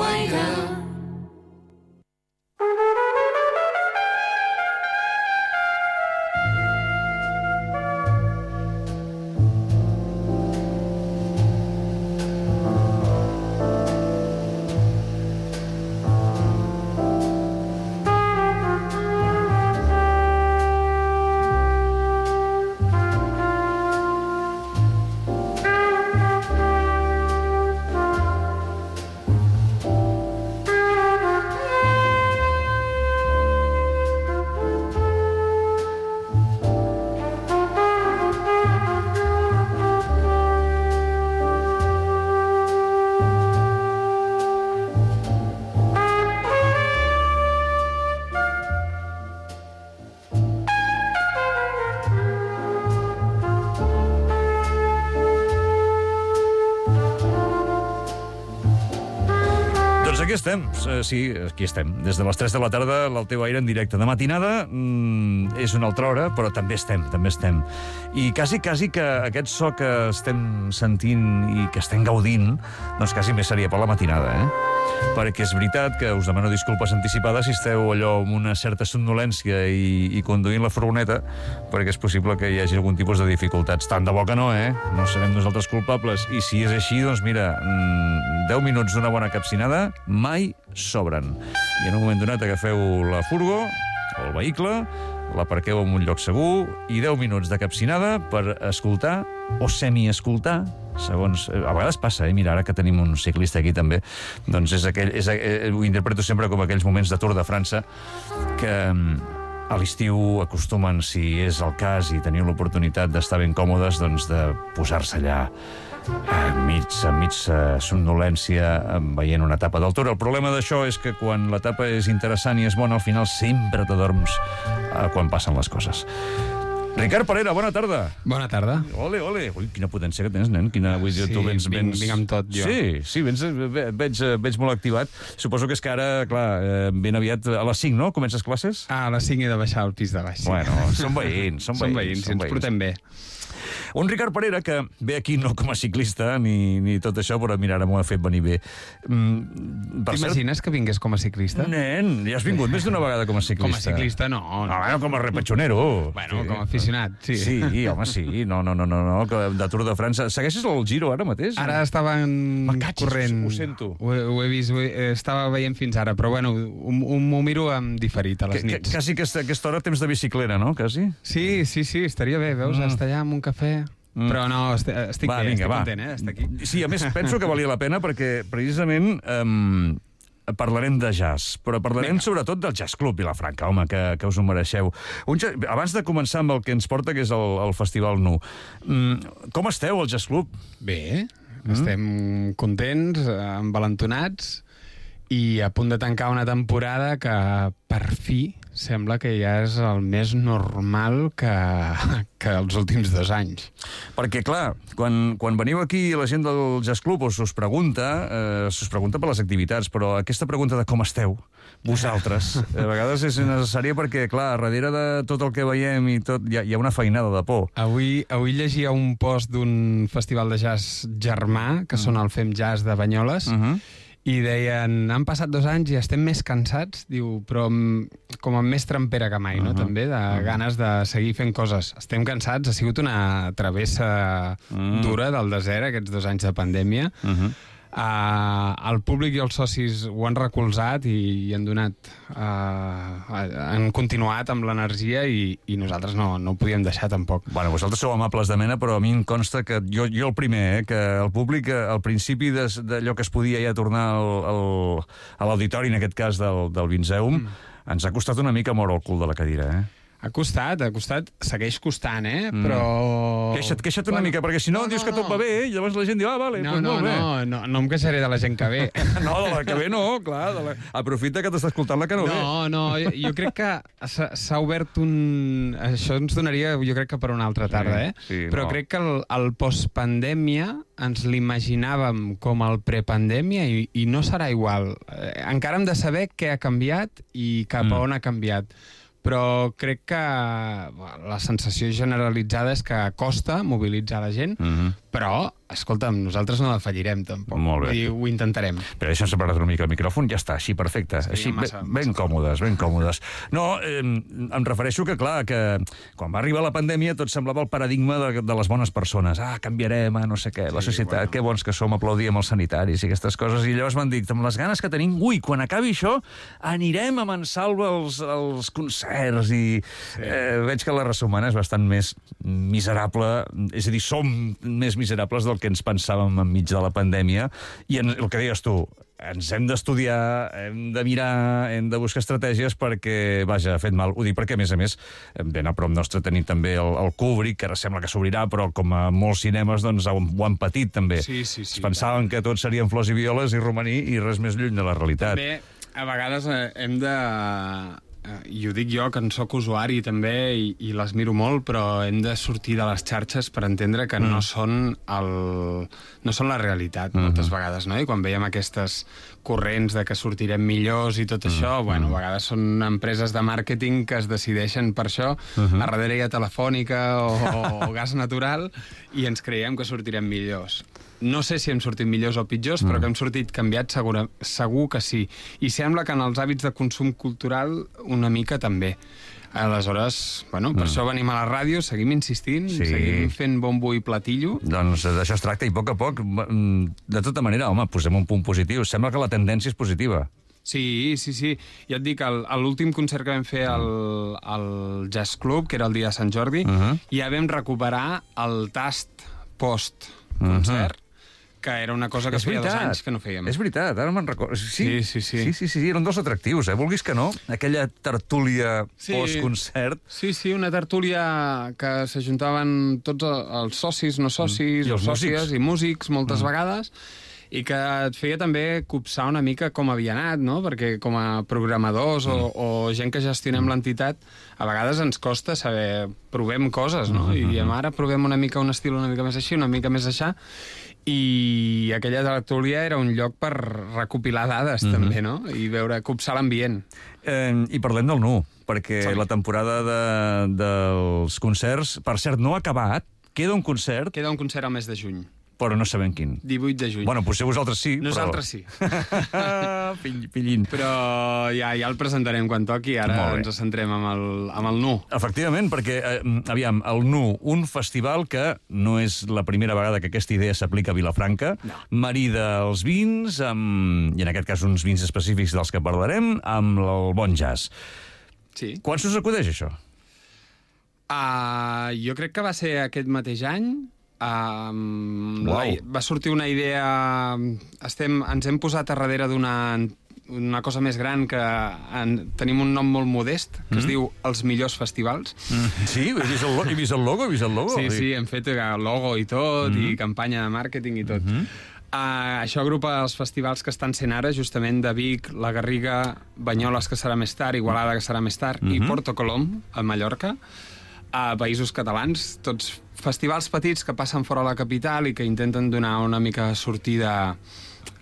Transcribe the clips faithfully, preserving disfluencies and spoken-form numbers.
Alguaire. Aquí estem, sí, aquí estem. Des de les tres de la tarda, el teu aire en directe. De matinada mmm, és una altra hora, però també estem, també estem. I quasi, quasi que aquest so que estem sentint i que estem gaudint, doncs quasi més seria per la matinada, eh? Perquè és veritat que us demano disculpes anticipades si esteu allò amb una certa somnolència i, i conduint la furgoneta, perquè és possible que hi hagi algun tipus de dificultats. Tant de bo que no, eh? No serem nosaltres culpables. I si és així, doncs mira, deu minuts d'una bona capcinada mai sobren. I en un moment donat agafeu la furgo, o el vehicle, l'aparqueu en un lloc segur i deu minuts de capcinada per escoltar o semi-escoltar, segons... A vegades passa, eh? Mira, ara que tenim un ciclista aquí també, doncs és aquell, és, eh, ho interpreto sempre com aquells moments de Tour de França que a l'estiu acostumen, si és el cas i teniu l'oportunitat d'estar ben còmodes, doncs de posar-se allà enmig, enmig somnolència veient una etapa del Tour. El problema d'això és que quan l'etapa és interessant i és bona, al final sempre t'adorms quan passen les coses. Ricard Parera, bona tarda. Bona tarda. Ole, ole. Ui, quina potència que tens, nen. Quina, vull dir, sí, tu vens, vinc, vens... vinc amb tot, jo. Sí, sí, vens, veig, veig molt activat. Suposo que és que ara, clar, ben aviat a les cinc, no? Comences classes? Ah, a les cinc he de baixar al pis de baix. Sí. Bueno, som veïns, som veïns. Som veïns, si ens portem bé. Un Ricard Parera que ve aquí no com a ciclista ni, ni tot això, però mira, ara m'ho ha fet venir bé. Mm, T'imagines cert... que vingués com a ciclista? Nen, ja has vingut més d'una vegada com a ciclista. Com a ciclista, no. No, no com a repatxonero. Bueno, sí. Com a aficionat, sí. Sí, home, sí. No, no, no, no, no, de Tour de França. Segueixes el Giro ara mateix? Ara estaven corrent. Ho sento. Ho, ho he vist, ho he, estava veient fins ara, però bueno, m'ho miro amb diferit a les que, nits. Que, quasi que a aquesta hora temps de bicicleta, no? Quasi? Sí, sí, sí, estaria bé, veus? Mm. Estar allà amb un cafè... Mm. Però no, estic, estic va, bé, vinga, estic va. content, eh, estar aquí. Sí, a més, penso que valia la pena perquè, precisament, um, parlarem de jazz, però parlarem vinga. Sobretot del Jazz Club Vilafranca, home, que, que us ho mereixeu. Un, abans de començar amb el que ens porta, que és el, el Festival Nu, um, com esteu, al Jazz Club? Bé, mm. estem contents, envalentonats, i a punt de tancar una temporada que, per fi, sembla que ja és el més normal que, que els últims dos anys. Perquè, clar, quan, quan veniu aquí la gent del Jazz Club us, us pregunta, eh, us pregunta per les activitats, però aquesta pregunta de com esteu, vosaltres, a vegades és necessària perquè, clar, darrere de tot el que veiem i tot, hi ha, hi ha una feinada de por. Avui, avui llegia un post d'un festival de jazz germà, que mm. són el Fem Jazz de Banyoles, uh-huh. i deien, han passat dos anys i estem més cansats, diu, però com amb més trempera que mai, uh-huh. no? També, de uh-huh. ganes de seguir fent coses. Estem cansats, ha sigut una travessa uh-huh. dura del desert, aquests dos anys de pandèmia. Uh-huh. Uh, el públic i els socis ho han recolzat i, i han donat uh, han continuat amb l'energia i, i nosaltres no, no ho podíem deixar tampoc. Bueno, vosaltres sou amables de mena, però a mi em consta que jo, jo el primer, eh, que el públic al principi d'allò que es podia ja tornar al, al, a l'auditori, en aquest cas del, del Vinceum, mm. ens ha costat una mica moure el cul de la cadira, eh? Ha costat, ha costat, segueix costant, eh? Mm. Però... Queixa't, queixa't una bueno, mica, perquè si no, no dius no, que tot va bé, i llavors la gent diu, ah, vale, no, doncs no, molt bé. No, no, no em queixaré de la gent que ve. No, de la que ve no, clar. De la... Aprofita que t'està escoltant la que no, no ve. No, no, jo, jo crec que s'ha obert un... Això ens donaria, jo crec que per una altra tarda, eh? Sí, sí, però no. crec que el, el postpandèmia ens l'imaginàvem com el prepandèmia i, i no serà igual. Eh, encara hem de saber què ha canviat i cap a on ha canviat. Però crec que la sensació generalitzada és que costa mobilitzar la gent, uh-huh. però escolta'm, nosaltres no la fallirem, tampoc. Molt bé. I ho intentarem. Però deixa'm separar una mica el micròfon, ja està, així, perfecte. Sí, així, massa, ben, massa ben còmodes, ben còmodes. No, eh, em refereixo que, clar, que quan va arribar la pandèmia tot semblava el paradigma de, de les bones persones. Ah, canviarem a no sé què, la Sí, societat, bueno. que bons que som, aplaudíem els sanitaris i aquestes coses. I llavors van dir, amb les ganes que tenim, ui, quan acabi això, anirem a Mansalva als, als concerts i sí. eh, veig que la raça humana és bastant més miserable, és a dir, som més miserables del que ens pensàvem enmig de la pandèmia, i en, el que deies tu, ens hem d'estudiar, hem de mirar, hem de buscar estratègies perquè, vaja, ha fet mal. Ho dic perquè, a més a més, ben a prop nostre tenim també el, el Kubrick, que ara sembla que s'obrirà, però com a molts cinemes doncs, ho, ho han patit també. Sí, sí, sí. Es pensaven que tots serien flors i violes i romaní i res més lluny de la realitat. També, a vegades eh, hem de... I ho dic jo, que en sóc usuari també, i, i les miro molt, però hem de sortir de les xarxes per entendre que mm. no són el, no són la realitat, mm-hmm. moltes vegades, no? I quan veiem aquestes corrents de que sortirem millors i tot mm. això, bueno, a vegades són empreses de màrqueting que es decideixen per això, mm-hmm. a darrere hi ha Telefònica o, o gas natural, i ens creiem que sortirem millors. No sé si hem sortit millors o pitjors, mm. però que hem sortit canviats segur, segur que sí. I sembla que en els hàbits de consum cultural una mica també. Aleshores, bueno, per mm. això venim a la ràdio, seguim insistint, sí. seguim fent bombo i platillo. Doncs d'això es tracta, i a poc a poc, de tota manera, home, posem un punt positiu. Sembla que la tendència és positiva. Sí, sí, sí. Ja et dic, l'últim concert que vam fer al, al Jazz Club, que era el dia de Sant Jordi, uh-huh. ja vam recuperar el tast post-concert, uh-huh. que era una cosa que feia dos anys que no fèiem. És veritat, ara me'n recordo. Sí, sí, sí, sí. Sí, sí, sí, eren dos atractius, eh? Vulguis que no, aquella tertúlia sí. post-concert. Sí, sí, una tertúlia que s'ajuntaven tots els socis, no socis, mm. o sòcies músics. i músics moltes mm. vegades, i que et feia també copsar una mica com havia anat, no? Perquè com a programadors mm. o, o gent que gestionem mm. l'entitat, a vegades ens costa saber, provem coses, no? Mm-hmm. I diem, ara provem una mica un estil una mica més així, una mica més aixà, i aquella tertúlia era un lloc per recopilar dades, mm-hmm. també, no? I veure, copsar l'ambient. Eh, I parlem del Nu, perquè sí. la temporada de, dels concerts, per cert, no ha acabat, queda un concert... Queda un concert al mes de juny. Però no sabem quin. divuit de juny. Bueno, potser vosaltres sí, Nosaltres però... sí. Pill, pillín. Però ja, ja el presentarem quan toqui, ara ens centrem amb el, amb el Nu. Efectivament, perquè, eh, aviam, el Nu, un festival que no és la primera vegada que aquesta idea s'aplica a Vilafranca, no. marida els vins, amb, i en aquest cas uns vins específics dels que parlarem, amb el bon jazz. Sí. Quan s'us acudeix, això? Uh, jo crec que va ser aquest mateix any. Um, wow. la, va sortir una idea... Estem, ens hem posat a darrere d'una una cosa més gran que en, tenim un nom molt modest, que mm. es diu Els Millors Festivals. Mm. Sí, he vist, el, he vist el logo, he vist el logo. Sí, sí, hem fet logo i tot, mm. i campanya de màrqueting i tot. Mm -hmm. Uh, això agrupa els festivals que estan sent ara, justament de Vic, la Garriga, Banyoles, que serà més tard, Igualada, que serà més tard, mm -hmm. i Porto Colom, a Mallorca, a Països Catalans, tots festivals petits que passen fora de la capital i que intenten donar una mica sortida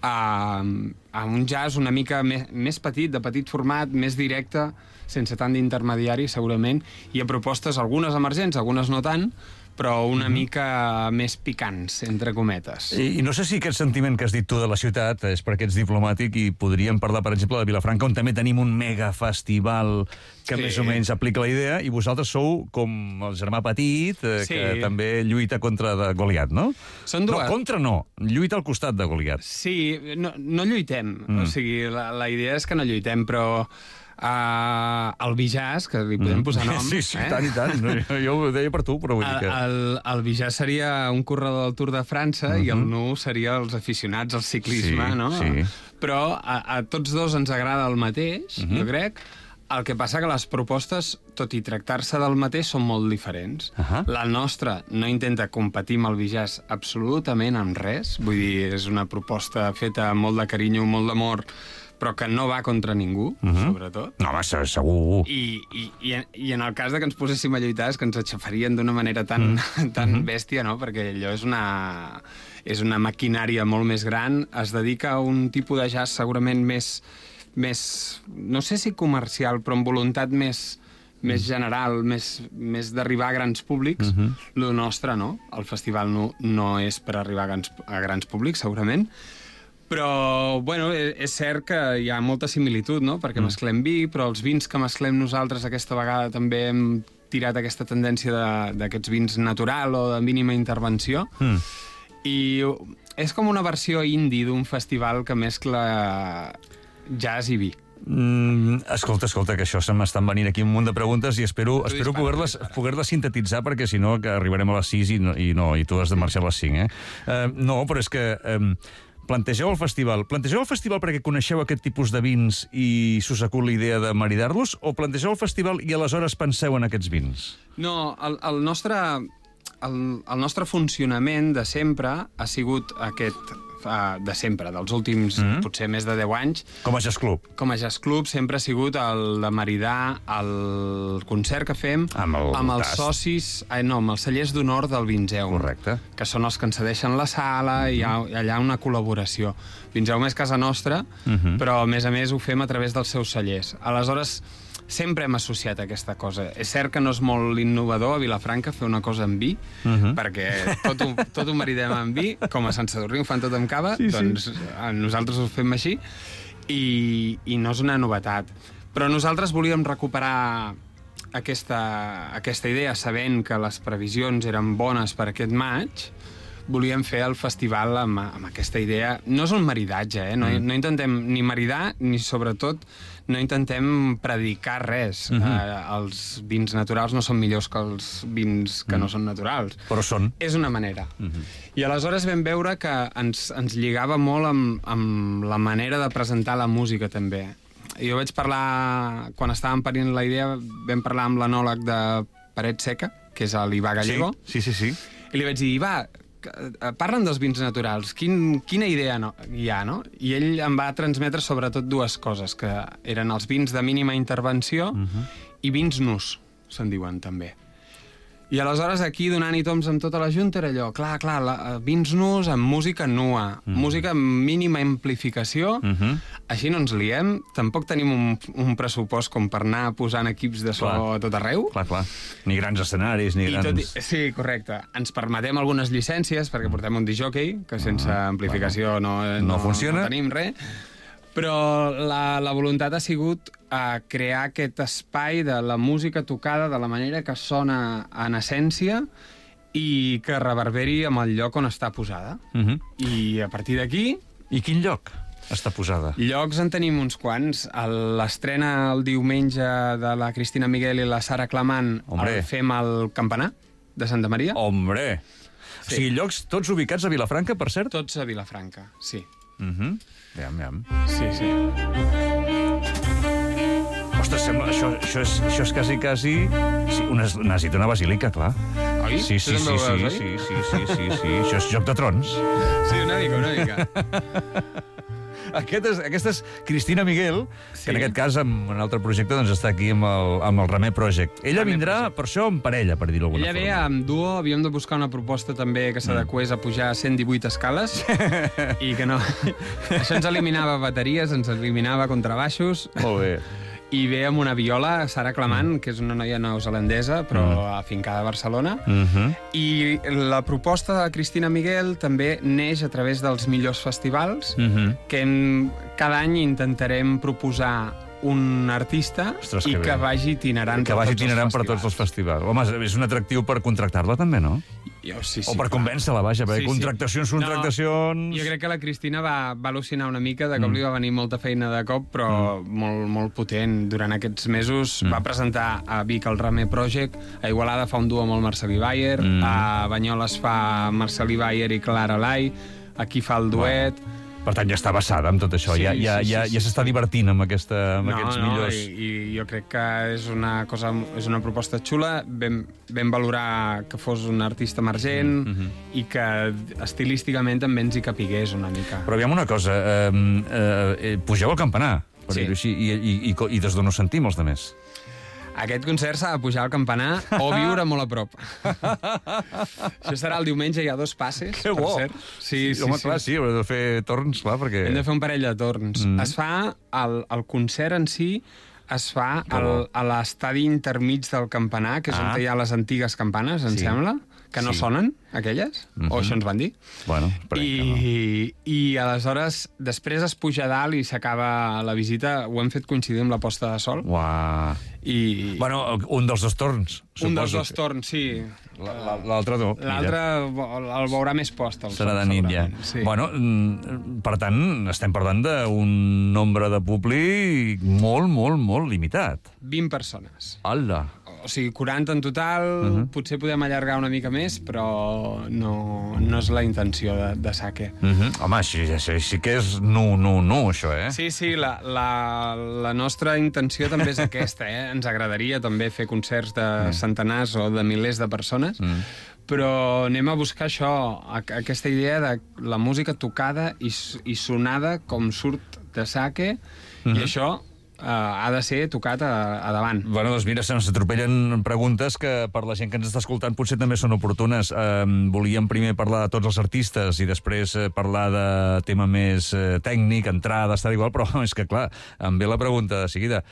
a, a un jazz una mica més, més petit, de petit format, més directe, sense tant d'intermediari, segurament, i a propostes, algunes emergents, algunes no tant, però una mm-hmm. mica més picants, entre cometes. I, I no sé si aquest sentiment que has dit tu de la ciutat és perquè ets diplomàtic i podríem parlar, per exemple, de Vilafranca, on també tenim un megafestival que sí. més o menys aplica la idea, i vosaltres sou com el germà petit, eh, sí. que també lluita contra de Goliat, no? Són dues. No, contra no, lluita al costat de Goliat. Sí, no, no lluitem, mm. o sigui, la, la idea és que no lluitem, però... Uh, el Bijàs, que li podem posar nom... Sí, sí, eh? tant i tant. No, jo ho deia per tu, però vull dir que... El, el Bijàs seria un corredor del Tour de França uh-huh. i el Nu seria els aficionats al ciclisme, sí, no? Sí. Però a, a tots dos ens agrada el mateix, uh-huh. jo crec. El que passa que les propostes, tot i tractar-se del mateix, són molt diferents. Uh-huh. La nostra no intenta competir amb el Bijàs absolutament amb res. Vull dir, és una proposta feta amb molt de carinyo, molt d'amor, però que no va contra ningú, uh-huh. sobretot. No, va, segur. I, i, i, en, I en el cas de que ens poséssim a lluitar és que ens aixafarien d'una manera tan, mm. tan uh-huh. bèstia, no? Perquè allò és una, és una maquinària molt més gran, es dedica a un tipus de jazz segurament més, més no sé si comercial, però amb voluntat més, més general, més, més d'arribar a grans públics. Uh -huh. Lo nostre, no? El festival no, no és per arribar a grans, a grans públics, segurament. Però, bueno, és cert que hi ha molta similitud, no? Perquè mm. mesclem vi, però els vins que mesclem nosaltres aquesta vegada també hem tirat aquesta tendència d'aquests vins natural o de mínima intervenció. Mm. I és com una versió indie d'un festival que mescla jazz i vi. Mm, escolta, escolta, que això se m'estan venint aquí un munt de preguntes i espero, espero poder-les poder sintetitzar, perquè si no que arribarem a les sis i no, i, no, i tu has de marxar a les cinc, eh? Uh, no, però és que... Um, plantegeu el festival. Plantegeu el festival perquè coneixeu aquest tipus de vins i s'us acut la idea de maridar-los, o plantegeu el festival i aleshores penseu en aquests vins? No, el, el nostre... El, el nostre funcionament de sempre ha sigut aquest, uh, de sempre, dels últims, mm -hmm. potser més de deu anys. Com a jazz club. Com a jazz club sempre ha sigut el de maridar el concert que fem amb, el amb els tas. socis, eh, no, amb els cellers d'honor del Vinzeum. Correcte. Que són els que ens cedeixen la sala, i hi ha allà una col·laboració. Vinzeum és casa nostra, mm -hmm. però a més a més ho fem a través dels seus cellers. Aleshores, sempre hem associat aquesta cosa. És cert que no és molt innovador a Vilafranca fer una cosa amb vi, uh -huh. perquè tot ho, tot ho maridem amb vi, com a Sant Sadurní ho fan tot amb cava, sí, doncs sí. nosaltres ho fem així, i, i no és una novetat. Però nosaltres volíem recuperar aquesta, aquesta idea, sabent que les previsions eren bones per aquest maig. Volíem fer el festival amb, amb aquesta idea. No és un maridatge, eh? No, mm. no intentem ni maridar, ni sobretot no intentem predicar res. Mm -hmm. eh, els vins naturals no són millors que els vins que mm. no són naturals. Però són. És una manera. Mm -hmm. I aleshores vam veure que ens, ens lligava molt amb, amb la manera de presentar la música, també. Jo vaig parlar, quan estàvem parint la idea, vam parlar amb l'anòleg de Paret Seca, que és l'Ivà Gallego. Sí, sí, sí. sí. I li vaig dir, Ivà, parlen dels vins naturals, Quin, quina idea no, hi ha, no? I ell em va transmetre sobretot dues coses, que eren els vins de mínima intervenció uh -huh. i vins nus, se'n diuen també. I aleshores aquí, donant-hi toms amb tota la junta, era allò, clar, clar, la, vins nus amb música nua, uh -huh. música amb mínima amplificació, uh -huh. així no ens liem, tampoc tenim un, un pressupost com per anar posant equips de so clar. a tot arreu. Clar, clar. Ni grans escenaris, ni I grans... Tot i, sí, correcte. Ens permetem algunes llicències, perquè portem un disjockey, que sense uh -huh. amplificació no, no, no funciona, no tenim res. Però la, la voluntat ha sigut uh, crear aquest espai de la música tocada de la manera que sona en essència i que reverberi amb el lloc on està posada. Uh -huh. I a partir d'aquí... I quin lloc està posada? Llocs en tenim uns quants. L'estrena el diumenge de la Cristina Miguel i la Sara Clamant el fem al Campanar de Santa Maria. Hombre! Sí. O sigui, llocs tots ubicats a Vilafranca, per cert? Tots a Vilafranca, sí. Mhm. Uh -huh. Aviam, aviam. Sí, sí. Ostres, sembla, això, això, és, això és quasi, quasi... Sí, una, necessita una basílica, clar. Oi? Sí, sí, sí, sí, sí, sí, sí, sí, sí, sí. Això és Joc de Trons. Sí, una mica, una mica. Aquest és, aquesta és Cristina Miguel, sí. que en aquest cas, amb un altre projecte, doncs està aquí amb el, amb el Remer Project. Ella Remer vindrà, Project. per això, en parella, per dir-ho d'alguna forma. Ella ve amb duo, havíem de buscar una proposta també que s'adequés a pujar cent divuit escales, i que no... Això ens eliminava bateries, ens eliminava contrabaixos... Molt bé. I ve amb una viola, Sara Clamant, que és una noia neozelandesa, però mm. afincada a Barcelona. Mm -hmm. I la proposta de la Cristina Miguel també neix a través dels millors festivals, mm -hmm. que en, cada any intentarem proposar un artista Ostres, i que, que vagi itinerant, que vagi itinerant per tots els festivals. Home, és un atractiu per contractar-la també, no? Jo, sí, sí, o per convèncer-la, vaja, perquè sí, contractacions, sí. contractacions... No, jo crec que la Cristina va, va al·lucinar una mica, de cop mm. li va venir molta feina de cop, però mm. molt, molt potent. Durant aquests mesos mm. va presentar a Vic el Remer Project, a Igualada fa un duo amb el Marcelí Bayer, mm. a Banyoles fa Marcelí Bayer i Clara Lai, aquí fa el duet... Bueno. Per tant, ja està basada amb tot això, sí, ja, ja, sí, ja, sí, ja s'està sí. divertint amb, aquesta, amb no, aquests no, millors... I, i jo crec que és una cosa, és una proposta xula, vam, vam valorar que fos un artista emergent mm -hmm. i que estilísticament també ens hi capigués una mica. Però aviam una cosa, eh, eh, pugeu al campanar, per sí. dir-ho així, i, i, i, i des d'on us sentim els altres? Aquest concert s'ha de pujar al campanar o viure molt a prop. Això serà el diumenge, hi ha dos passes, que per bo. cert. Sí, sí, sí, home, sí. clar, sí, hem de fer torns, clar, perquè... Hem de fer un parell de torns. Mm. Es fa, el, el concert en si, es fa al, a l'estadi intermig del campanar, que és Ah. on hi ha les antigues campanes, em Sí. sembla, que no Sí. sonen, aquelles, Mhm. o això ens van dir. Bueno, però I, I aleshores, després es puja a dalt i s'acaba la visita. Ho hem fet coincidir amb la posta de sol. Uah. I Bueno, un dels dos torns, un dels suposo. dos torns, sí. La- la- L'altre no. mira. L'altre el veurà més post. El Serà sol, de nit, ja. segurament, Sí. Bueno, mm, per tant, estem parlant d'un nombre de públic molt, molt, molt limitat. vint persones. Hola. O sigui, quaranta en total, uh -huh. potser podem allargar una mica més, però no, no és la intenció de, de Sake. Mm -hmm. Home, així, així, sí que és nu, nu, nu, això, eh? Sí, sí, la, la, la nostra intenció també és aquesta, eh? Ens agradaria també fer concerts de mm. centenars o de milers de persones, mm. però anem a buscar això, aquesta idea de la música tocada i, i sonada com surt de Sake, mm-hmm. i això uh, ha de ser tocat a, a davant. Bueno, doncs mira, se'ns atropellen preguntes que per la gent que ens està escoltant potser també són oportunes. Eh, volíem primer parlar de tots els artistes i després eh, parlar de tema més eh, tècnic, entrades, tal igual, però és que, clar, em ve la pregunta de seguida.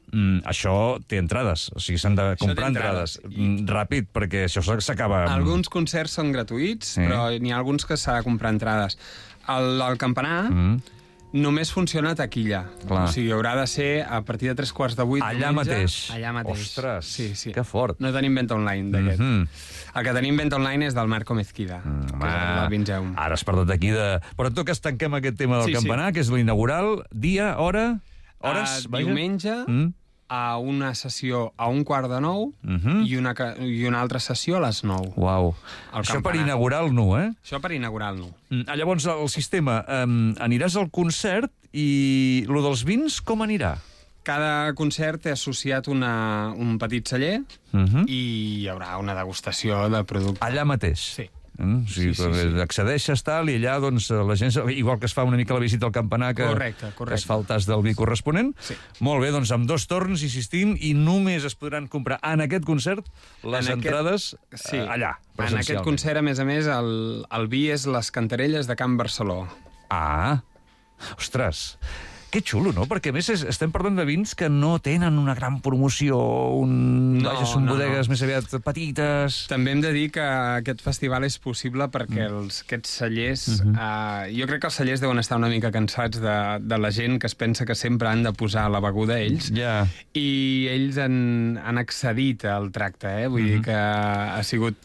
Mm, això té entrades, o sigui, s'han de comprar entrades. entrades. I... Ràpid, perquè això s'acaba... Amb... Alguns concerts són gratuïts, sí. però n'hi ha alguns que s'ha de comprar entrades. El, el campanar... Mm. Només funciona a taquilla. Clar. O sigui, haurà de ser a partir de tres quarts de vuit Allà diumenge, mateix. Allà mateix. Ostres, sí, sí. que fort. No tenim venda online d'aquest. Mm -hmm. El que tenim venda online és del Marco Mezquida, mm, que és el del Vingeum. Ara has parlat d'aquí de... Però en tot cas tanquem aquest tema del sí, campanar, sí. que és l'inaugural. Dia, hora, hores... Uh, diumenge, mm? a una sessió a un quart de nou mm -hmm. i, una, i una altra sessió a les nou. Uau. Això per inaugurar el nu, eh? Això per inaugurar el nu. Mm, llavors, el sistema, um, aniràs al concert i lo dels vins com anirà? Cada concert té associat una, un petit celler uh -huh. i hi haurà una degustació de producte. Allà mateix? Sí. Mm, o sigui, sí, sí, sí. Accedeixes, tal, i allà, doncs, la gent... Igual que es fa una mica la visita al campanar, que, correcte, correcte. que es fa el tas del vi corresponent. Sí. Molt bé, doncs, amb dos torns, insistim, i només es podran comprar en aquest concert les en entrades aquest... sí. eh, allà, presencialment. En aquest concert, a més a més, el, el vi és les cantarelles de Can Barceló. Ah, ostres... Que xulo, no? Perquè, a més, estem parlant de vins que no tenen una gran promoció, un... no, Vaja, són no, bodegues no. més aviat petites... També hem de dir que aquest festival és possible perquè mm. els, aquests cellers... Uh -huh. uh, jo crec que els cellers deuen estar una mica cansats de, de la gent que es pensa que sempre han de posar la beguda ells, yeah. i ells han, han accedit al tracte, eh? Vull uh -huh. dir que ha sigut...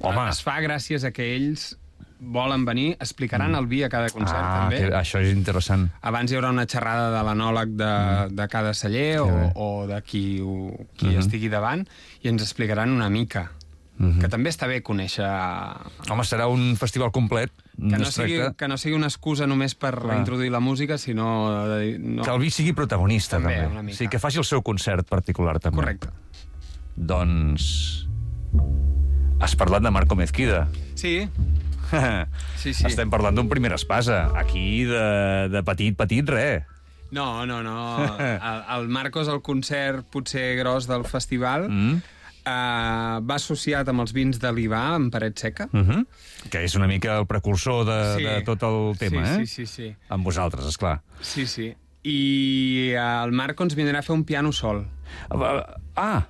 Home. Es fa gràcies a que ells volen venir, explicaran el vi a cada concert, ah, també. Que, això és interessant. Abans hi haurà una xerrada de l'anòleg de, mm. de cada celler o, o de qui, ho, qui mm -hmm. estigui davant, i ens explicaran una mica. Mm -hmm. Que també està bé conèixer... Home, serà un festival complet. Que no, sigui, que no sigui una excusa només per Clar. introduir la música, sinó... No. Que el vi sigui protagonista, també. també. Una mica. Sí, que faci el seu concert particular, també. Correcte. Doncs... Has parlat de Marco Mezquida. Sí. Sí, sí. Estem parlant d'un primer espasa. Aquí, de, de petit, petit, res. No, no, no. El, el Marcos, el concert potser gros del festival, mm. uh, va associat amb els vins de l'Ivà, en Paret Seca. Uh -huh. Que és una mica el precursor de, sí. de tot el tema, sí, eh? Sí, sí, sí. Amb vosaltres, esclar. Sí, sí. I el Marco ens vindrà a fer un piano sol. Ah!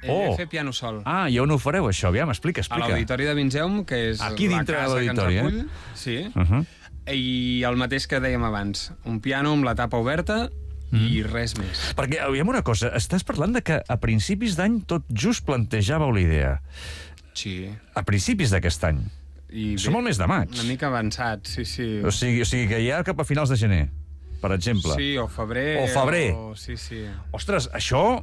Ell oh. fer piano sol. Ah, i on ho fareu, això? Aviam, explica, explica. A l'Auditori de Vingeum, que és aquí la dintre casa de l'auditori, que ens acull. Eh? Sí. Uh -huh. I el mateix que dèiem abans. Un piano amb la tapa oberta mm. i res més. Perquè, aviam una cosa, estàs parlant de que a principis d'any tot just plantejàveu la idea. Sí. A principis d'aquest any. I som al mes de maig. Una mica avançat, sí, sí. O sigui, o sigui que ja cap a finals de gener, per exemple. Sí, o febrer. O febrer. O... Sí, sí. Ostres, això,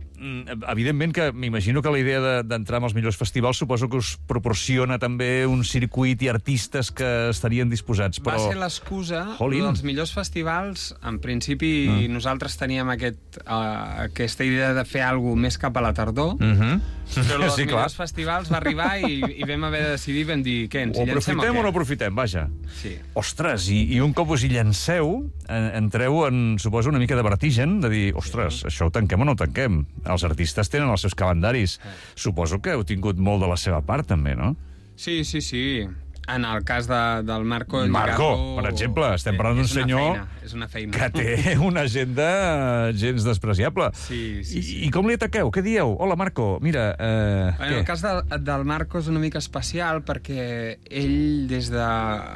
evidentment que m'imagino que la idea d'entrar amb els millors festivals suposo que us proporciona també un circuit i artistes que estarien disposats, però... Va ser l'excusa dels millors festivals. En principi, mm. nosaltres teníem aquest, uh, aquesta idea de fer alguna cosa més cap a la tardor, mm -hmm. però els sí, millors clar. festivals va arribar i, i vam haver de decidir, vam dir, què, ens hi llancem o què? O aprofitem o no aprofitem, vaja. Sí. Ostres, i, i un cop us hi llanceu, entreu en, suposo, una mica de vertigen, de dir, ostres, sí. això ho tanquem o no ho tanquem? Els artistes tenen els seus calendaris. Sí. Suposo que heu tingut molt de la seva part, també, no? Sí, sí, sí. En el cas de, del Marco... Marco, per exemple, estem parlant d'un senyor és una feina. que té una agenda gens despreciable. Sí, sí, sí. I, I com li ataqueu? Què dieu? Hola, Marco, mira... Eh, en el cas del, del Marco és una mica especial perquè ell, des de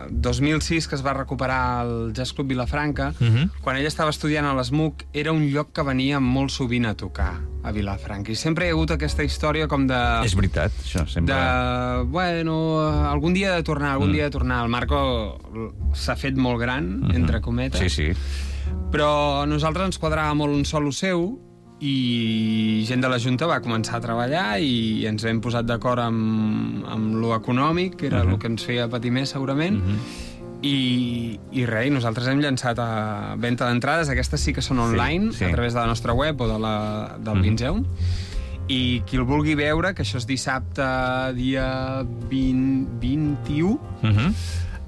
dos mil sis, que es va recuperar al Jazz Club Vilafranca, uh -huh. quan ell estava estudiant a l'S M U C, era un lloc que venia molt sovint a tocar a Vilafranca. I sempre hi ha hagut aquesta història com de... És veritat, això, sempre... De, bueno, algun dia de tornar, algun mm. dia de tornar. El Marco s'ha fet molt gran, mm-hmm. entre cometes. Sí, sí. Però a nosaltres ens quadrava molt un solo seu i gent de la Junta va començar a treballar i ens hem posat d'acord amb, amb lo econòmic, que era mm-hmm. el que ens feia patir més, segurament, mm-hmm. I, i res, i nosaltres hem llançat a venda d'entrades. Aquestes sí que són online, sí, sí. a través de la nostra web o de la, del mm-hmm. Vinzeum. I qui el vulgui veure, que això és dissabte, dia vint, vint-i-u, uh-huh.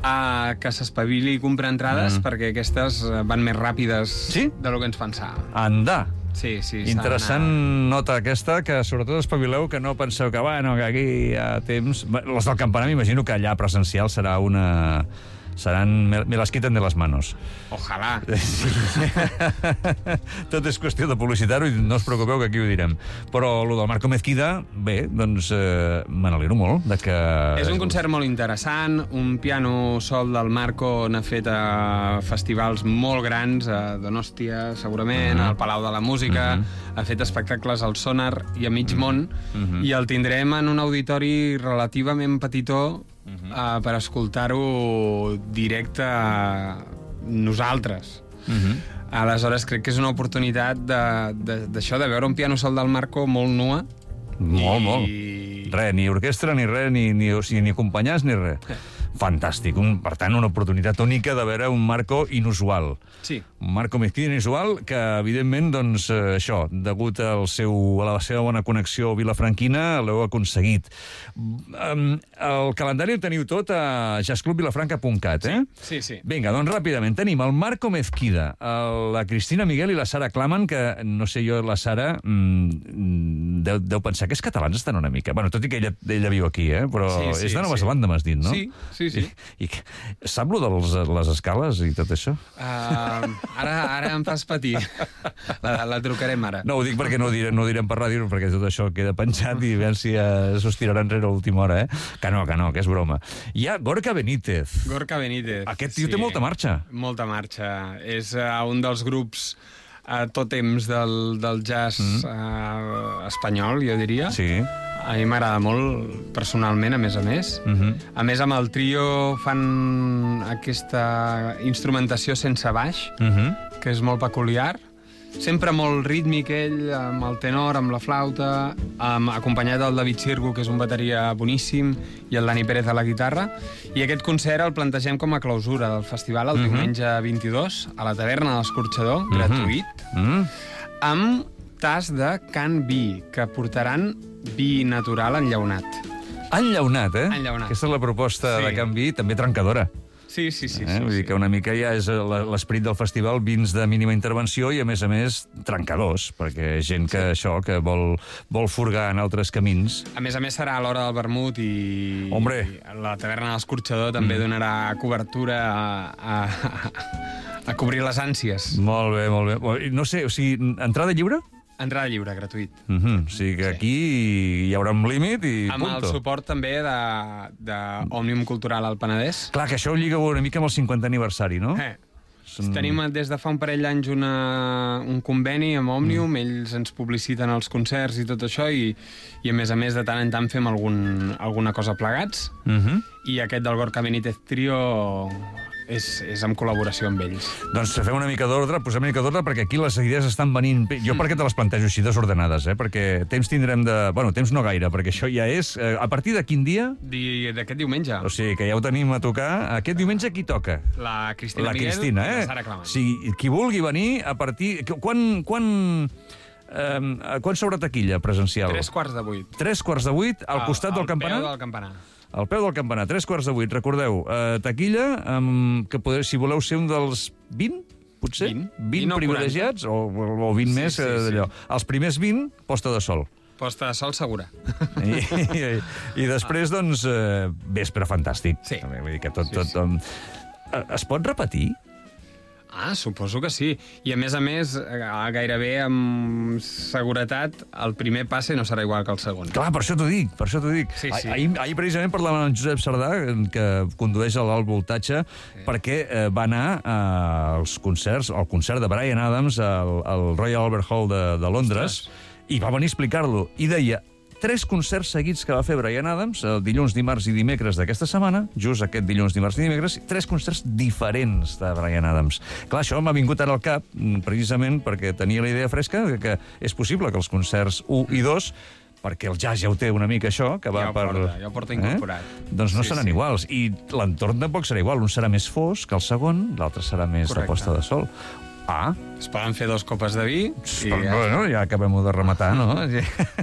uh, que s'espavili i compra entrades, uh-huh. perquè aquestes van més ràpides sí? de lo que ens pensàvem. Anda! Sí, sí. Interessant nota aquesta, que sobretot espavileu que no penseu que, bueno, que aquí hi ha temps... Les del campanar m'imagino que allà presencial serà una... Seran... Me las quiten de les manos. Ojalà. Sí. Tot és qüestió de publicitar-ho i no us preocupeu que aquí ho direm. Però el del Marco Mezquida, bé, doncs eh, me n'alegro molt de que... És un concert molt interessant, un piano sol del Marco n'ha fet a festivals molt grans, a Donòstia, segurament, uh-huh. al Palau de la Música, uh-huh. ha fet espectacles al Sonar i a mig món, uh-huh. i el tindrem en un auditori relativament petitó, Uh-huh. uh, per escoltar-ho directe a nosaltres. Uh-huh. Aleshores, crec que és una oportunitat d'això, de, de, de veure un piano sol del Marco molt nua. Molt, i... molt. Res, ni orquestra, ni res, ni, ni, o sigui, ni acompanyats, ni res. Fantàstic. Un, per tant, una oportunitat única de veure un Marco inusual. Sí. Un Marco Mezquida inusual que, evidentment, doncs, eh, això, degut al seu, a la seva bona connexió vilafranquina, l'heu aconseguit. Um, el calendari el teniu tot a jazz club vilafranca punt cat, eh? Sí, sí, sí. Vinga, doncs, ràpidament, tenim el Marco Mezquida, el, la Cristina Miguel i la Sara Claman, que, no sé jo, la Sara mm, deu, deu pensar que els catalans estan una mica... Bueno, tot i que ella, ella viu aquí, eh? Però sí, sí, és de Nova sí. Zelanda, m'has dit, no? Sí, sí, sí. I, i sap lo de les, les escales i tot això? Uh, ara, ara em fas patir. La, la trucarem ara. No, ho dic perquè no ho direm, no ho direm per ràdio, perquè tot això queda penjat i veure si uh, s'ho estirarà enrere a última hora, eh? Que no, que no, que és broma. Hi ha Gorka Benítez. Gorka Benítez. Aquest tio sí. té molta marxa. Molta marxa. És uh, un dels grups uh, tòtems del, del jazz mm. uh, espanyol, jo diria. Sí. A mi m'agrada molt, personalment, a més a més. Uh-huh. A més, amb el trio fan aquesta instrumentació sense baix, uh-huh. que és molt peculiar. Sempre molt rítmic, ell, amb el tenor, amb la flauta, amb, acompanyat del David Sirgu, que és un bateria boníssim, i el Dani Pérez a la guitarra. I aquest concert el plantegem com a clausura del festival el uh-huh. diumenge vint-i-dos, a la taverna de l'Escorxador, uh-huh. gratuït, uh-huh. amb tas de Can Vi, que portaran vi natural enllaunat. Enllaunat, eh? Enllaunat. Aquesta és la proposta sí. de Can Vi, també trencadora. Sí, sí, sí. Eh? sí, Vull dir sí. que una mica ja és l'esperit del festival, vins de mínima intervenció i, a més a més, trencadors, perquè gent que sí. això, que vol, vol furgar en altres camins. A més a més, serà a l'hora del vermut i, Hombre. i la taverna de l'Escorxador també mm. donarà cobertura a, a, a cobrir les ànsies. Molt bé, molt bé. No sé, o sigui, entrada lliure? Entrada lliure, gratuït. Uh-huh. O sigui que sí. aquí hi haurà un límit i amb punto. Amb el suport també d'Òmnium Cultural al Penedès. Clar, que això ho lliga una mica amb el cinquantè aniversari, no? Eh. Són... Tenim des de fa un parell d'anys una, un conveni amb Òmnium, mm. ells ens publiciten els concerts i tot això, i, i a més a més de tant en tant fem algun, alguna cosa plegats, uh-huh. i aquest del Gorka Benítez Trio... És, és en col·laboració amb ells. Doncs fem una mica d'ordre, posem una mica d'ordre, perquè aquí les idees estan venint... Jo per què te les plantejo així desordenades, eh? Perquè temps tindrem de... Bueno, temps no gaire, perquè això ja és... Eh, a partir de quin dia? D'aquest diumenge. O sigui, que ja ho tenim a tocar. Aquest diumenge qui toca? La Cristina la Miguel Cristina, eh? i la Sara Claman. O sigui, qui vulgui venir a partir... Quan... quan... Eh, quan s'obre taquilla presencial? Tres quarts de vuit. Tres quarts de vuit, al, al costat del campanar? Al peu del campanar. Al peu del campanar, tres quarts de vuit. Recordeu, eh, taquilla, um, que poder, si voleu ser un dels vint, potser? vint. vint privilegiats, o, o vint sí, més, sí, d'allò. Sí. Els primers vint, posta de sol. Posta de sol segura. I, i, i després, doncs, eh, vespre fantàstic. Sí. Vull dir que tot... Sí, tot sí. um, es pot repetir? Ah, suposo que sí. I a més a més, eh, gairebé amb seguretat, el primer passe no serà igual que el segon. Clar, per això t'ho dic, per això t'ho dic. Sí, sí. Ah, ahir, ahir precisament parlàvem amb en Josep Sardà, que condueix a l'alt voltatge, sí. perquè eh, va anar als concerts, al concert de Bryan Adams al, al Royal Albert Hall de, de Londres, Ostres. I va venir a explicar-lo. I deia, tres concerts seguits que va fer Bryan Adams, el dilluns, dimarts i dimecres d'aquesta setmana, just aquest dilluns, dimarts i dimecres, tres concerts diferents de Bryan Adams. Clar, això m'ha vingut ara al cap, precisament perquè tenia la idea fresca que, que és possible que els concerts u i dos, perquè el jazz ja ho té una mica això, que va ja ho per... Porta, ja ho porta incorporat. Eh? Doncs no sí, seran sí. iguals. I l'entorn tampoc serà igual. Un serà més fosc que el segon, l'altre serà més Correcte. de posta de sol. Ah, Es poden fer dos copes de vi i però, bueno, ja acabem de rematar, no?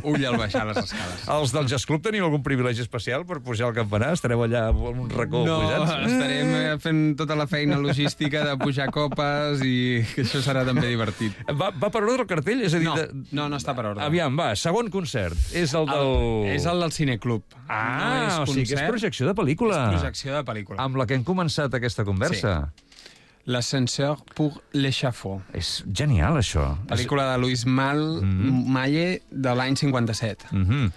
ull al baixar les escales. Els del Jazz Club teniu algun privilegi especial per pujar al campanar? Estareu allà en un racó No, pujats? estarem fent tota la feina logística de pujar copes i que això serà també divertit. Va, va per ordre el cartell? És a dir, No, de... no, no està per ordre. Aviam, va, segon concert. És el del... El, és el del Cineclub. Ah, no és o sigui que és concert, projecció de pel·lícula. És projecció de pel·lícula. Amb la que hem començat aquesta conversa. L'ascenseur pour l'échafaud. És genial, això. Pel·lícula de Louis Mal Mhm. Malle de l'any cinquanta-set. Mm -hmm.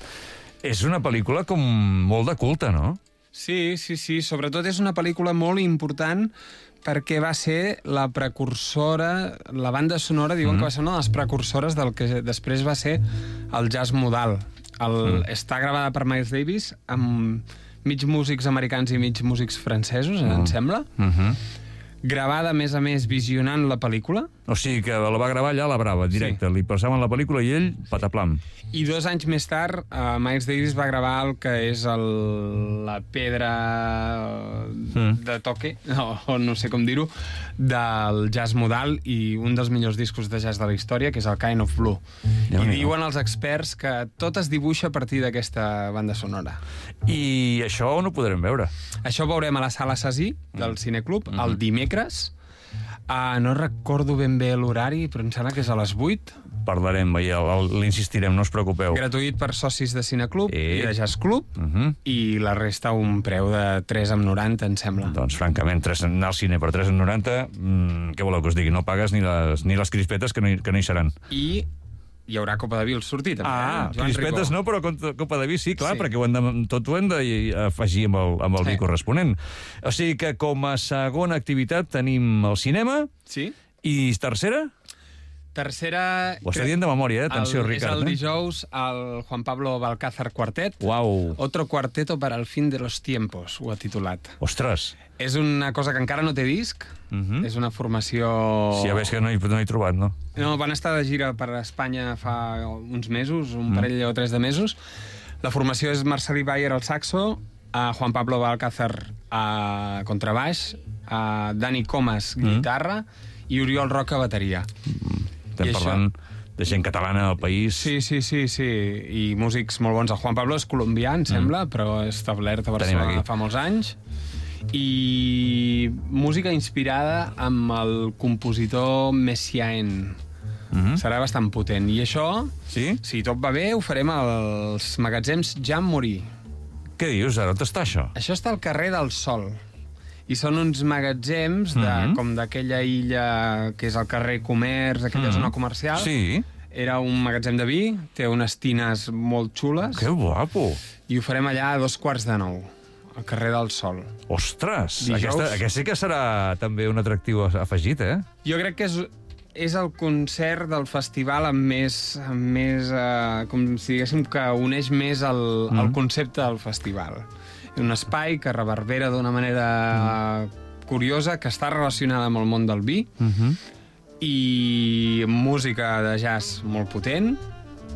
És una pel·lícula com molt de culte, no? Sí, sí, sí. Sobretot és una pel·lícula molt important perquè va ser la precursora, la banda sonora, diuen Mm. que va ser una de les precursores del que després va ser el jazz modal. El, mm. Està gravada per Miles Davis amb mig músics americans i mig músics francesos, mm. em sembla. Mm -hmm. Gravada, a més a més, visionant la pel·lícula. O sigui que la va gravar allà a la Brava, directe. Sí. Li passaven la pel·lícula i ell, pataplam. I dos anys més tard, uh, Miles Davis va gravar el que és el, la pedra mm. de toque, no, o no sé com dir-ho, del jazz modal i un dels millors discos de jazz de la història, que és el Kind of Blue. Ja I diuen els experts que tot es dibuixa a partir d'aquesta banda sonora. I això on ho podrem veure? Això ho veurem a la Sala Sasí del Cineclub, mm -hmm. el dimecres. Uh, no recordo ben bé l'horari, però em sembla que és a les vuit. Parlarem, l'insistirem, no us preocupeu. Gratuït per socis de Cineclub Eh. i de Jazz Club, Uh -huh. i la resta un preu de tres coma noranta, em sembla. Doncs, francament, tres, anar al cine per tres coma noranta, mmm, què voleu que us digui? No pagues ni les, ni les crispetes, que no hi, que no hi seran. I hi haurà Copa de Vi al sortir, també. Ah, eh? Joan crispetes Ricó. no, però cont- Copa de Vi sí, clar, Sí. perquè ho hem de, tot ho hem d'afegir amb el, amb el Sí. vi corresponent. O sigui que com a segona activitat tenim el cinema, Sí. i tercera? Tercera... Ho està dient de memòria, eh? Atenció, el, Ricard. És el eh? dijous el Juan Pablo Balcázar Quartet. Uau. Otro cuarteto para el fin de los tiempos, ho ha titulat. Ostres. És una cosa que encara no té disc, Uh -huh. és una formació... Sí, a veure, que no he, no he trobat, no? No, van estar de gira per Espanya fa uns mesos, un Mm. parell o tres de mesos. La formació és Marcelí Bayer al saxo, a Juan Pablo Balcázar a contrabaix, a Dani Comas guitarra i Oriol Roca bateria. Estem I parlant de gent catalana al país. Sí, sí, sí, sí, i músics molt bons. El Juan Pablo és colombià, em sembla, mm. però és establert a Barcelona fa molts anys. I música inspirada amb el compositor Messiaen. Mm-hmm. Serà bastant potent. I això, Sí? si tot va bé, ho farem als magatzems Jean Morí. Què dius, ara? On està això? Això està al carrer del Sol. I són uns magatzems de, Mm-hmm. com d'aquella illa que és el carrer Comerç, aquella Mm-hmm. zona comercial. Sí? Era un magatzem de vi, té unes tines molt xules. Que guapo! I ho farem allà a dos quarts de nou, al carrer del Sol. Ostres! Dijous. Aquesta, aquest sí que serà també un atractiu afegit, eh? Jo crec que és, és el concert del festival amb més, amb més eh, com si diguéssim que uneix més el, mm. el concepte del festival. Un espai que reverbera d'una manera mm. curiosa, que està relacionada amb el món del vi, Uh-huh. i música de jazz molt potent,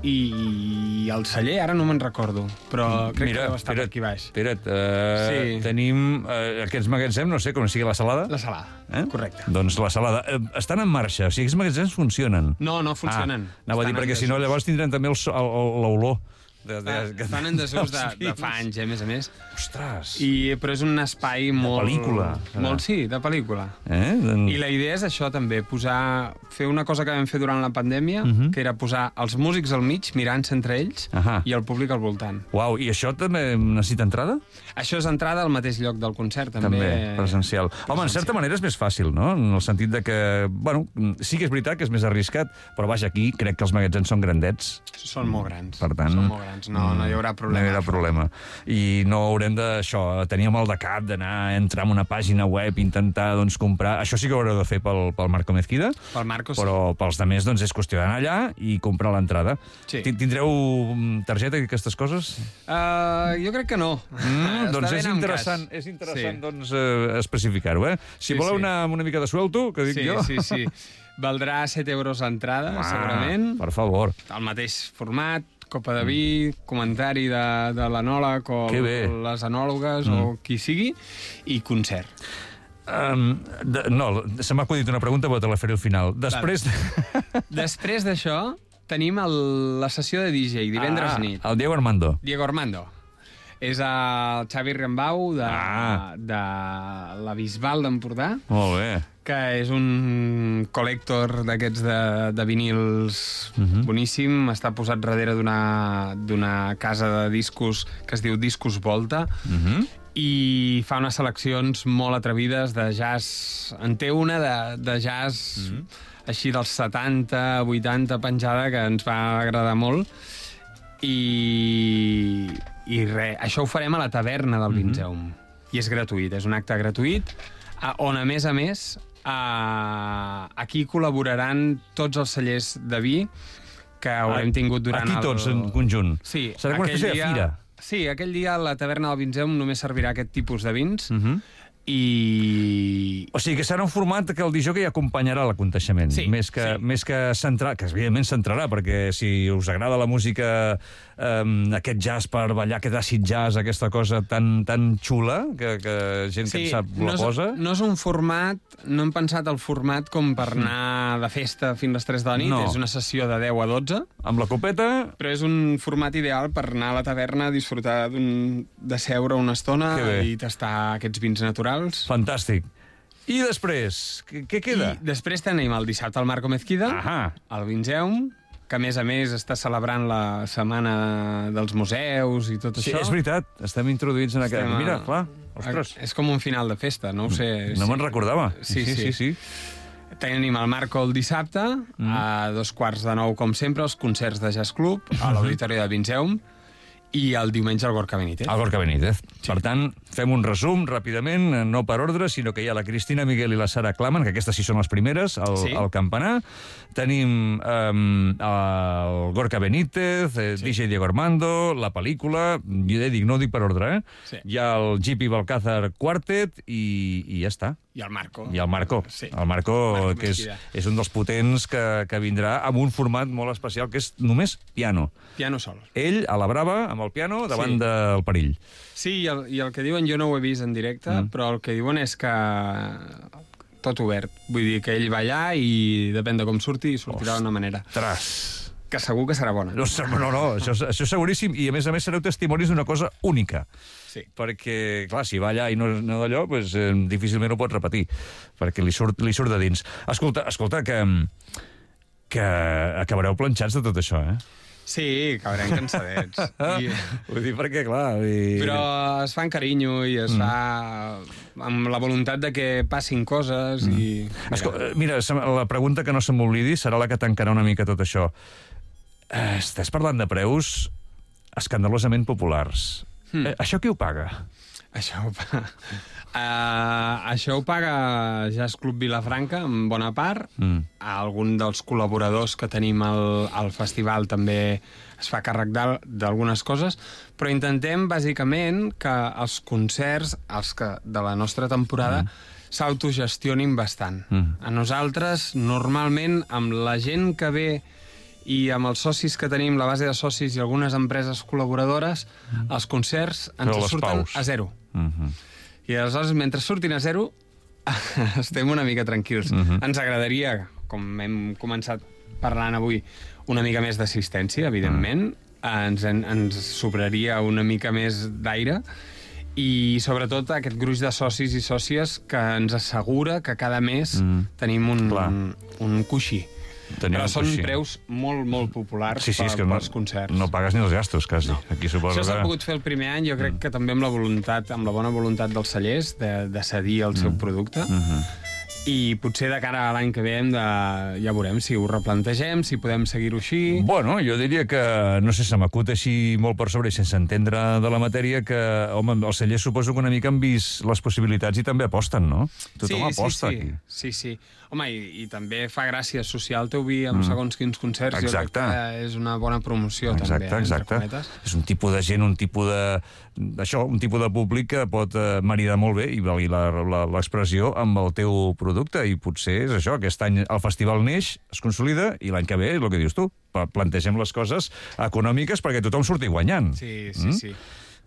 i el celler, ara no me'n recordo, però crec Mira, que deu estar per espera't, aquí baix. espera't, uh, Sí. tenim uh, aquests magatzems, no sé com sigui la salada. La salada, Eh? correcte. Doncs la salada. Eh, estan en marxa, o sigui, aquests magatzems funcionen. No, no funcionen. Ah, anava a dir, Estan perquè en si no desús. llavors tindrem també el so- el- el- l'olor De, de, de, Estan en desús de, de fa anys, eh, a més a més. Ostres! I, però és un espai molt... De pel·lícula. Molt, sí, de pel·lícula. Eh? Den... I la idea és això, també, posar... Fer una cosa que vam fer durant la pandèmia, uh Mhm. -huh. que era posar els músics al mig, mirant-se entre ells, Ahà. i el públic al voltant. Uau, i això també necessita entrada? Això és entrada al mateix lloc del concert, també. També, presencial. Home, en certa manera és més fàcil, no? En el sentit de que, bueno, sí que és veritat que és més arriscat, però vaja, aquí crec que els magatzems són grandets. Són molt grans. Per tant... Són molt grans. No, no hi haurà problema. No hi haurà problema. I no haurem de, això, tenir mal de cap d'anar a entrar en una pàgina web, intentar, doncs, comprar... Això sí que ho haureu de fer pel, pel Marco Mezquida. Pel Marco, sí. Però pels altres, doncs, és qüestió d'anar allà i comprar l'entrada. Sí. Tindreu targeta i aquestes coses? Uh, jo crec que no. Mm, doncs és amb interessant, cas. és interessant Sí. doncs, eh, especificar-ho, eh? Si Sí, voleu sí. anar amb una mica de suelto, que dic Sí, jo... sí, sí. Valdrà set euros l'entrada, Ah, segurament. per favor. El mateix format, copa de vi, comentari de, de l'anòleg o Que bé. les anòlogues mm. o qui sigui, i concert. Um, de, no, se m'ha acudit una pregunta, però te la faré al final. Després... De... Després d'això, tenim el, la sessió de D J, divendres ah, nit. El Diego Armando. Diego Armando. És el Xavi Rembau de, Ah. de la Bisbal d'Empordà, Molt bé. que és un col·lector d'aquests de, de vinils uh -huh. boníssim. Està posat darrere d'una d'una casa de discos que es diu Discos Volta, Uh -huh. i fa unes seleccions molt atrevides de jazz. En té una de, de jazz uh -huh. així dels setanta, vuitanta, penjada, que ens va agradar molt. I, i res, això ho farem a la taverna del Vinzeum. I és gratuït, és un acte gratuït, on, a més a més, a... aquí col·laboraran tots els cellers de vi que haurem tingut durant Aquí tots, el... en conjunt. Sí. Serà com una espècie dia... de fira. Sí, aquell dia la taverna del Vinzeum només servirà aquest tipus de vins, Uh -huh. i... O sigui que serà un format que el disjockey acompanyarà l'aconteixement, Sí, més que, sí. més que centrar, que evidentment centrarà, perquè si us agrada la música, um, aquest jazz per ballar, aquest acid jazz, aquesta cosa tan, tan xula, que, que gent que en sap la no és, posa... no és un format, no hem pensat el format com per anar de festa fins a les tres de la nit, No. és una sessió de deu a dotze, Amb la copeta... però és un format ideal per anar a la taverna a disfrutar d'un- de seure una estona Que bé. i tastar aquests vins naturals. Fantàstic. I després, què, què queda? I després tenim el dissabte al Marco Mezquida, Ahà. al Vinzeum, que a més a més està celebrant la setmana dels museus i tot Sí, això. és veritat, estem introduïts en aquest... Estem a- Mira, clar, ostres, És com un final de festa, no ho sé. no me'n recordava. Sí, sí. sí, sí. Tenim el Marco el dissabte, mm. a dos quarts de nou, com sempre, els concerts de Jazz Club, a l'Auditori de Vinzeum, i el diumenge al Gorka Benítez. El Gorka Benítez. Sí. Per tant, fem un resum ràpidament, no per ordre, sinó que hi ha la Cristina Miguel i la Sara Claman, que aquestes sí són les primeres, al, Sí. al campanar. Tenim um, el Gorka Benítez, eh, Sí. D J Diego Armando, la pel·lícula, jo ja dic, no ho dic per ordre, eh? Sí. Hi ha el G P Balcázar Quartet i, i ja està. I el Marco. I el Marco, Sí. el Marco, Marco que és, Mesquida. és un dels potents que, que vindrà amb un format molt especial, que és només piano. Piano sol. Ell, a la brava, amb el piano, davant Sí. del perill. Sí, i el, i el que diuen, jo no ho he vist en directe, mm. però el que diuen és que tot obert. Vull dir que ell va allà i depèn de com surti, sortirà d'una manera. Tras. Que segur que serà bona. No, no, no això, això és seguríssim, i a més a més sereu testimonis d'una cosa única. Sí. Perquè, clar, si va allà i no, no d'allò, doncs, eh, difícilment ho pot repetir, perquè li surt, li surt de dins. Escolta, escolta que, que acabareu planxats de tot això, eh? Sí, acabarem cansadets. I... Vull dir, perquè, clar... I... Però es fa amb carinyo i es mm. fa amb la voluntat de que passin coses mm. i... Escol mira, la pregunta que no se m'oblidi serà la que tancarà una mica tot això. Eh, estàs parlant de preus escandalosament populars. Mm. Eh, això qui ho paga? Això ho paga... Uh, això ho paga Jazz Club Vilafranca, en bona part. Mm. Algun dels col·laboradors que tenim al, al festival també es fa càrrec d'algunes coses, però intentem, bàsicament, que els concerts els que, de la nostra temporada mm. s'autogestionin bastant. Mm. A nosaltres, normalment, amb la gent que ve i amb els socis que tenim, la base de socis i algunes empreses col·laboradores, mm. els concerts ens surten paus. a zero. Mm-hmm. I aleshores, mentre surtin a zero, estem una mica tranquils. Mm-hmm. Ens agradaria, com hem començat parlant avui, una mica més d'assistència, evidentment. Mm. ens, ens sobraria una mica més d'aire, i sobretot aquest gruix de socis i sòcies que ens assegura que cada mes mm. tenim un, un coixí. Tenim Però són coixí. preus molt, molt populars sí, sí, per, no, pels concerts. No pagues ni els gastos, quasi. No. Aquí suposo Això s'ha que... pogut fer el primer any, jo crec mm. que també amb la voluntat, amb la bona voluntat dels cellers de, de cedir el mm. seu producte. Mm-hmm. I potser de cara a l'any que ve hem de... ja veurem si ho replantegem, si podem seguir-ho així... Bueno, jo diria que, no sé, se m'acut així molt per sobre i sense entendre de la matèria que, home, els cellers suposo que una mica han vist les possibilitats i també aposten, no? Tothom sí, aposta sí, sí. aquí. Sí, sí. Home, i, i també fa gràcia associar el teu vi amb mm. segons quins concerts. Exacte. Jo crec que és una bona promoció, exacte, també, exacte. entre cometes. És un tipus de gent, un tipus de... Això, un tipus de públic que pot eh, maridar molt bé, i valgui l'expressió, amb el teu producte, i potser és això, aquest any el festival neix, es consolida, i l'any que ve, és el que dius tu, plantegem les coses econòmiques perquè tothom surti guanyant. Sí, sí, mm? sí.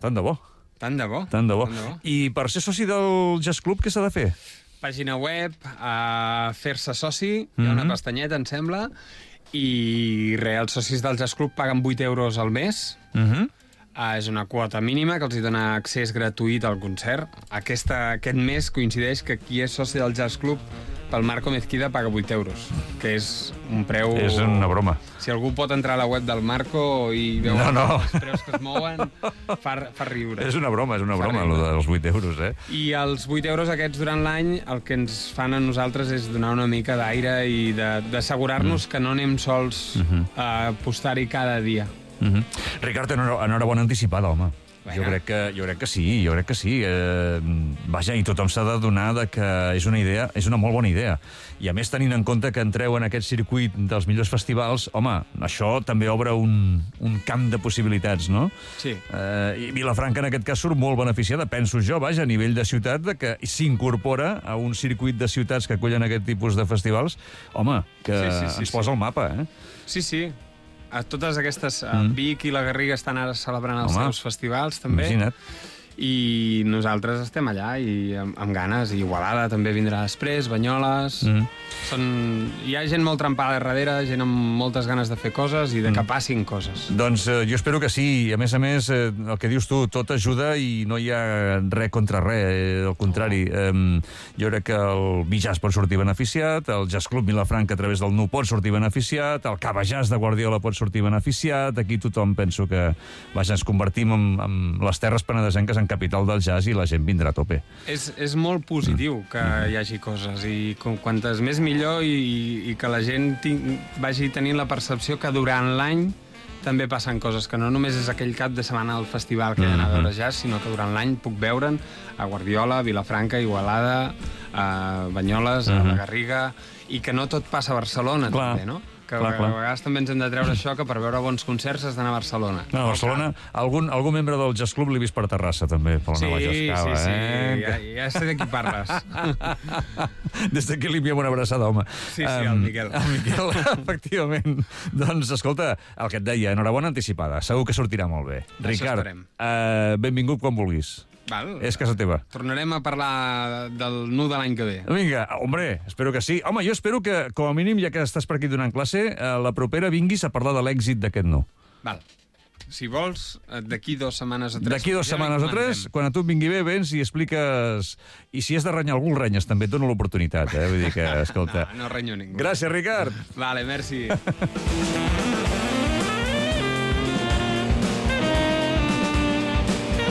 Tant de bo. Tant de bo. Tant de bo. Tant de bo. I per ser soci del Jazz Club, què s'ha de fer? Pàgina web, a fer-se soci, mm-hmm. hi ha una pestanyeta, em sembla, i re, els socis del Jazz Club paguen vuit euros al mes. Mhm. Uh, és una quota mínima que els hi dona accés gratuït al concert. Aquesta, aquest mes coincideix que qui és soci del Jazz Club pel Marco Mezquida paga vuit euros, que és un preu... És una broma. Si algú pot entrar a la web del Marco i veu no, no. els preus que es mouen, fa, fa riure. És una broma, és una broma, el dels vuit euros, eh? I els vuit euros aquests durant l'any el que ens fan a nosaltres és donar una mica d'aire i d'assegurar-nos mm. que no anem sols mm-hmm. a apostar-hi cada dia. Mm-hmm. Ricard, enhorabona anticipada, home. Bueno. Jo crec que, jo crec que sí, jo crec que sí. Eh, vaja, i tothom s'ha de donar de que és una idea, és una molt bona idea. I a més, tenint en compte que entreu en aquest circuit dels millors festivals, home, això també obre un, un camp de possibilitats, no? Sí. Eh, I Vilafranca, en aquest cas, surt molt beneficiada, penso jo, vaja, a nivell de ciutat, de que s'incorpora a un circuit de ciutats que acollen aquest tipus de festivals, home, que sí, sí, sí, ens posa sí. al mapa, eh? Sí, sí. A totes aquestes... Mm. Vic i la Garriga estan ara celebrant els Home, seus festivals, també. Imagina't. I nosaltres estem allà i amb, amb ganes. I Igualada també vindrà després, Banyoles... Mm. Són... Hi ha gent molt trempada darrere, gent amb moltes ganes de fer coses i de que passin coses. Doncs eh, jo espero que sí. I a més a més, eh, el que dius tu, tot ajuda i no hi ha res contra res. Eh, al contrari, eh, jo crec que el Bijazz pot sortir beneficiat, el Jazz Club Vilafranca a través del N U pot sortir beneficiat, el Cava Jazz de Guardiola pot sortir beneficiat, aquí tothom penso que vaja, ens convertim en, en les terres penedesenques en capital del jazz i la gent vindrà a tope. És, és molt positiu mm. que hi hagi coses i com, quantes més millor i, i que la gent ting, vagi tenint la percepció que durant l'any també passen coses, que no només és aquell cap de setmana al festival que he d'anar a veure jazz, sinó que durant l'any puc veure'n a Guardiola, a Vilafranca, a Igualada, a Banyoles, a la Garriga, i que no tot passa a Barcelona, clar, també, no? Que clar, clar. a vegades també ens hem de treure això, que per veure bons concerts has d'anar a Barcelona. No, a Barcelona, algun, algun membre del Jazz Club l'he vist per Terrassa, també, per la sí, nova Jazzcava, sí, sí, eh? ja, ja sé de qui parles. Des d'aquí li enviem una abraçada, home. Sí, sí, um, el Miquel. El Miquel, efectivament. Doncs, escolta, el que et deia, enhorabona anticipada, segur que sortirà molt bé. Això Ricard, esperem. uh, benvingut quan vulguis. Val. És casa teva. Tornarem a parlar del N U de l'any que ve. Vinga, hombre, espero que sí. Home, jo espero que, com a mínim, ja que estàs per aquí donant classe, a la propera vinguis a parlar de l'èxit d'aquest N U. Val. Si vols, d'aquí dues setmanes o tres... D'aquí dues setmanes o tres, quan a tu et vingui bé, vens i expliques... I si has de renyar algú, el renyes, també et dono l'oportunitat, eh? Vull dir que, escolta... No, no renyo ningú. Gràcies, Ricard. Vale, merci.